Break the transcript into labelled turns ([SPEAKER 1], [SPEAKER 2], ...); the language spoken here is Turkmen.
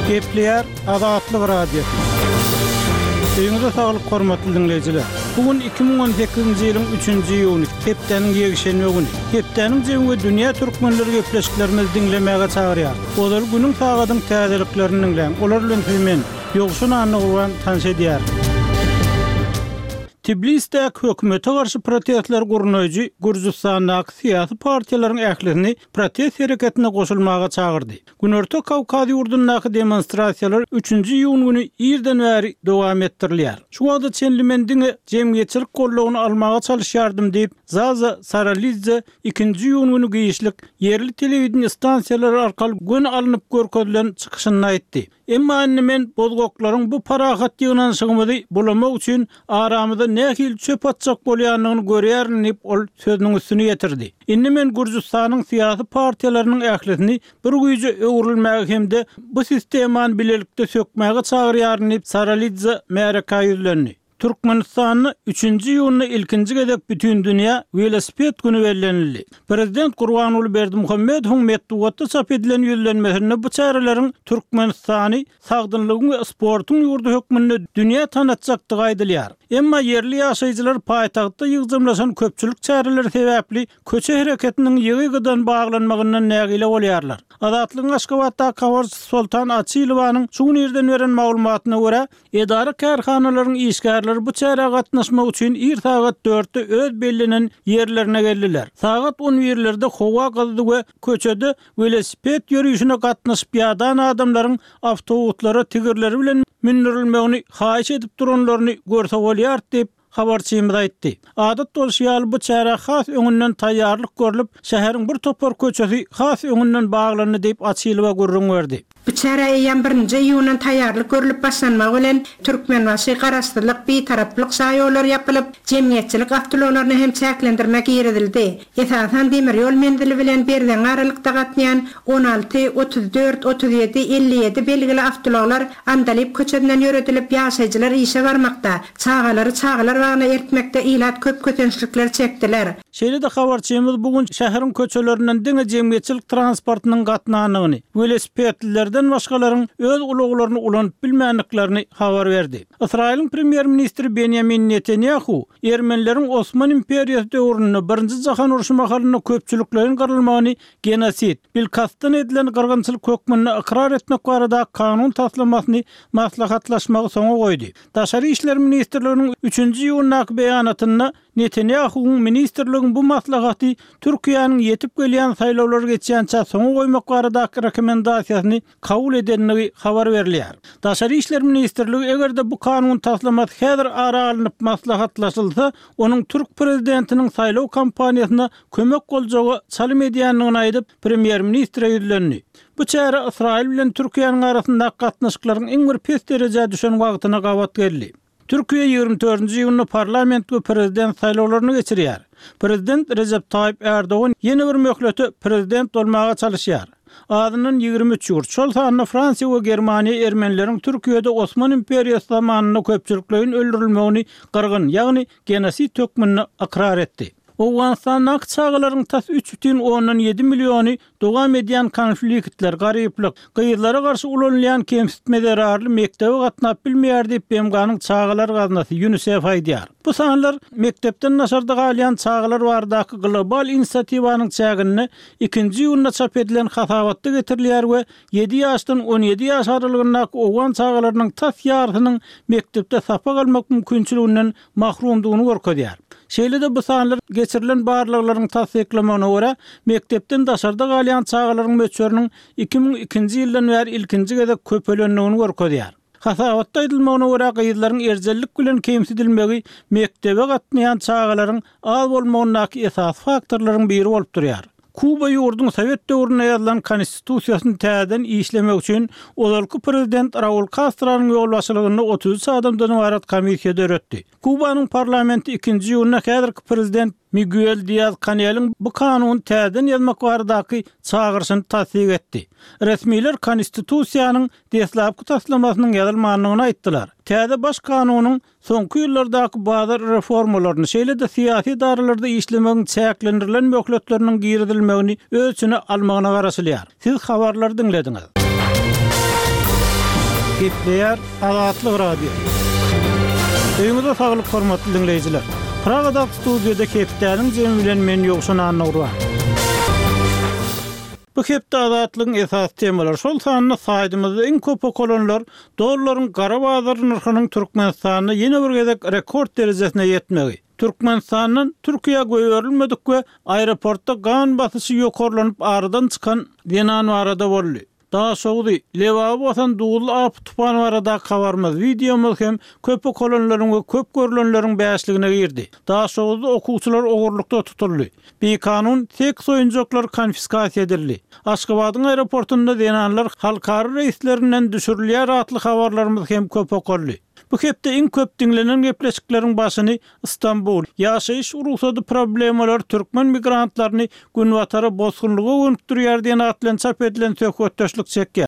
[SPEAKER 1] Gepleýär Azatlyk Radiosy. Öýüňize saglyk hormatly diňleýjiler. Bu gün 2018-nji ýylyň 3-nji iýuny, hepdäniň ýekşenbe güni. Hepdäniň jemi we dünýä türkmenleri gepleşiklerimizi diňlemäge çagyrýar. Ozal günüň sagadyň täzeliklerini diňläň. Olar bilen sizi men, Ýowşan Annagurban tanyş edýärin. Tblisdäki hökümete garşy protestleri gurnaýjy Gürjüstandaky syýasy partiýalaryň ählisini protest hereketine goşulmaga çagyrdy. Günorta Kawkaz ýurdundaky demonstrasiýalar üçünji iýun güni irden bäri dowam etdirilýär. Şu wagta çenli men diňe jemgyýetçilik goldawyny almaga çalyşýardym diýip, Zaza Saralidze ikinji iýun güni giçlik ýerli telewideniýe stansiýalary arkaly göni alnyp görkezilen çykyşynda aýtdy. Emma indi men bozgaklaryň bu parahat ýygnanyşygymyzy bulamak üçin aramyza nähili çöp atjak bolýandygyny görýärin diýip, ol sözüniň üstüni ýetirdi. Indi men Gürjüstanyň syýasy partiýalarynyň ählisini bir güýje öwrülmäge hem-de bu sistemany bilelikde sökmäge çagyrýaryn diýip, Saralidze märekä ýüzlendi. Türkmenistanda üçünji iýunda ilkinji gezek Bütindünýä welosiped güni bellenildi. Prezident Gurbanguly Berdimuhamedowyň metbugatda çap edilen ýüzlenmesinde bu çäreleriň Türkmenistany sagdynlygyň we sportuň ýurdy hökmünde dünýä tanatjakdygy aýdylýar. Emma ýerli ýaşaýjylar paýtagtda ýygjamlaşan köpçülik çäreleri sebäpli köçe hereketiniň ýygy-ýygydan baglanmagyndan nägile bolýarlar. Azatlygyň Aşgabatdaky habarçysy Soltan Açylowanyň şu gün irden beren maglumatyna görä, Edara-kärhanalaryň işgärleri bu çärä gatnaşmak üçin ir sagat dörtde öz bellenen ýerlerine geldiler. Sagat on birlerde howa gyzdy we köçede welosiped ýörişine gatnaşyp ýadan adamlaryň awtobuslara tigirleri bilen mündürilmegini haýyş edip duranlaryny görse bolýardy diýip, habarçymyz aýtdy. Adat bolşy ýaly, bu çärä has öňünden taýýarlyk görlüp, şäheriň bir topar köçesi has öňünden baglandy diýip, Açylowa gürrüň berdi.
[SPEAKER 2] Bu çärä eýýäm birinji iýundan taýýarlyk görlüp başlanmagy bilen, Türkmenbaşy, Garaşsyzlyk, Bitaraplyk şaýollary ýapylyp, jemgyýetçilik awtoulaglaryna hem çäklendirme girizildi. Esasan, demir ýol menzili bilen Berzeňňi aralykda gatnaýan 16, 34, 37, 57 belgili awtoulaglar Andalyp köçesinden ýöredilip, ýaşaýjylar işe barmakda, Çagalary çagalar bagyna eltmekde ilat köp kösençlikler çekdiler.
[SPEAKER 1] Şeýle-de habarçymyz bu gün şäheriň köçelerinden diňe jemgyýetçilik transportynyň gatnandygyny, welosipedlilerden başgalaryň öz ulaglaryny ulanyp bilmändiklerini habar berdi. Ysraýylyň premýer-ministri Benýamin Netanýahu ermenileriň Osman imperiýasy döwründe Birinji jahan urşy mahalynda köpçülikleýin gyrylmagyny genosid, bilkastdan edilen gyrgynçylyk hökmünde ykrar etmek baradaky kanun taslamasyny maslahatlaşmagy soňa goýdy. Daşary işler ministrliginiň üçünji iýundaky beýanatynda Netanýahuwyň ministrligiň bu maslahaty Türkiýäniň ýetip gelýän saýlawlar geçýänçä soňa goýmak baradaky rekomendasiýasyny kabul edendigi habar berilýär. Daşary işler ministrligi eger-de bu kanun taslamasy häzir ara alnyp maslahatlaşylsa, onuň türk prezidentiniň saýlaw kampaniýasyna kömek boljaga çalym edýändigini aýdyp, premýer-ministre ýüzlendi. Bu çäre Ysraýyl bilen Türkiýäniň arasyndaky gatnaşyklaryň iň bir pes derejä düşen wagtyna gabat geldi. Türkiýe 24-nji iýunda parlament we prezident saýlawlaryny geçirýär. Prezident Rejep Taýyp Ärdogan ýene bir möhlete prezident bolmaga çalyşýar. Azyndan 23 ýurt, şol sanda Fransiýa we Germaniýa ermenileriň Türkiýede Osman imperiýasy zamanynda köpçülikleýin öldürilmegini gyrgyn, ýagny genosid hökmünde ykrar etdi. Owganystandaky çagalaryň tas 3,7 milliony Dowam edýän konfliktler, garyplyk, gyzlara garşy ulanylýan kemsitme zerarly mekdebe gatnap bilmeýär diýip, BMG-niň Çagalar gaznasy, Ýunisef aýdýar. Bu sanlar mekdepden daşarda galýan çagalar baradaky global inisiatiwanyň çäginde ikinji iýunda çap edilen hasabatda getirilýär we ýedi ýaşdan 17 ýaş aralygyndaky owgan çagalarynyň tas ýarysynyň mekdepde sapak almak mümkinçiliginden mahrumdygyny görkezýär. Şeýle-de bu sanlar geçirilen barlaglaryň tassyklamagyna görä, mekdepden daşarda galýan çagalaryň möçberiniň 2002-nji ýyldan bäri ilkinji gezek köpelendigini görkezýär. Hasabatda aýdylmagyna görä, gyzlaryň erjellik bilen kemsidilmegi mekdebe gatnaýan çagalaryň az bolmagyndaky esasy faktorlaryň biri bolup durýar. Kuba ýurduň sowet döwründe ýazylan Konstitusiýasyny täzeden işlemek üçin ozalky prezident Raul Kastronyň ýolbaşçylygynda 33 adamdan ybarat komissiýa döretdi. Kubanyň parlamenti ikinji iýunda häzirki prezident Miguel Diaz-Kaneliň bu kanuny täzeden ýazmak baradaky çagyryşyny tassyk etdi. Resmiler Konstitusiýanyň deslapky taslamasynyň ýazylmandygyny aýtdylar. Täze Baş kanunyň Soňky ýyllardaky bazar reformalaryny, şeýle-de syýasy edaralarda işlemegiň çäklendirilen möhletleriniň girizilmegini öz içine almagyna garaşylýar. Siz habarlary diňlediňiz. Gepleýär Azatlyk Radiosy. Öýüňize saglyk hormatly diňleýjiler. Pragadaky studiýada hepdäniň jemi bilen men Ýowşan Annagurban. Bu hepde Azatlygyň esasy temalary, şol sanda saýtymyzda iň köp okalanlar dollaryň gara bazar nyrhynyň Türkmenistanda ýene bir gezek rekord derejesine ýetmegi, Türkmenistandan Türkiýä goýberilmedik we aeroportda gan basyşy ýokarlanyp aradan çykan zenan barada boldy. Daşogzy, Lebaby basan duzly apy-tupan baradaky habarymyz, wideomyz hem köp okalanlaryň we köp görlenleriň bäşligine girdi. Daşoguzda okuwçylar ogurlykda tutuldy. Bikanun seks oýunjaklary konfiskasiýa edildi. Aşgabadyň aeroportunda zenanlar halkara reýslerinden düşürilýär atly habarlarymyz hem köp okaldy. Bu hepde iň köp diňlenen gepleşikleriň başyny Stambul, ýaşaýyş rugsady problemalary türkmen migrantlaryny Günbatara bosgunlyga gönükdirýär diýen at bilen çap edilen söhbetdeşlik çekýär.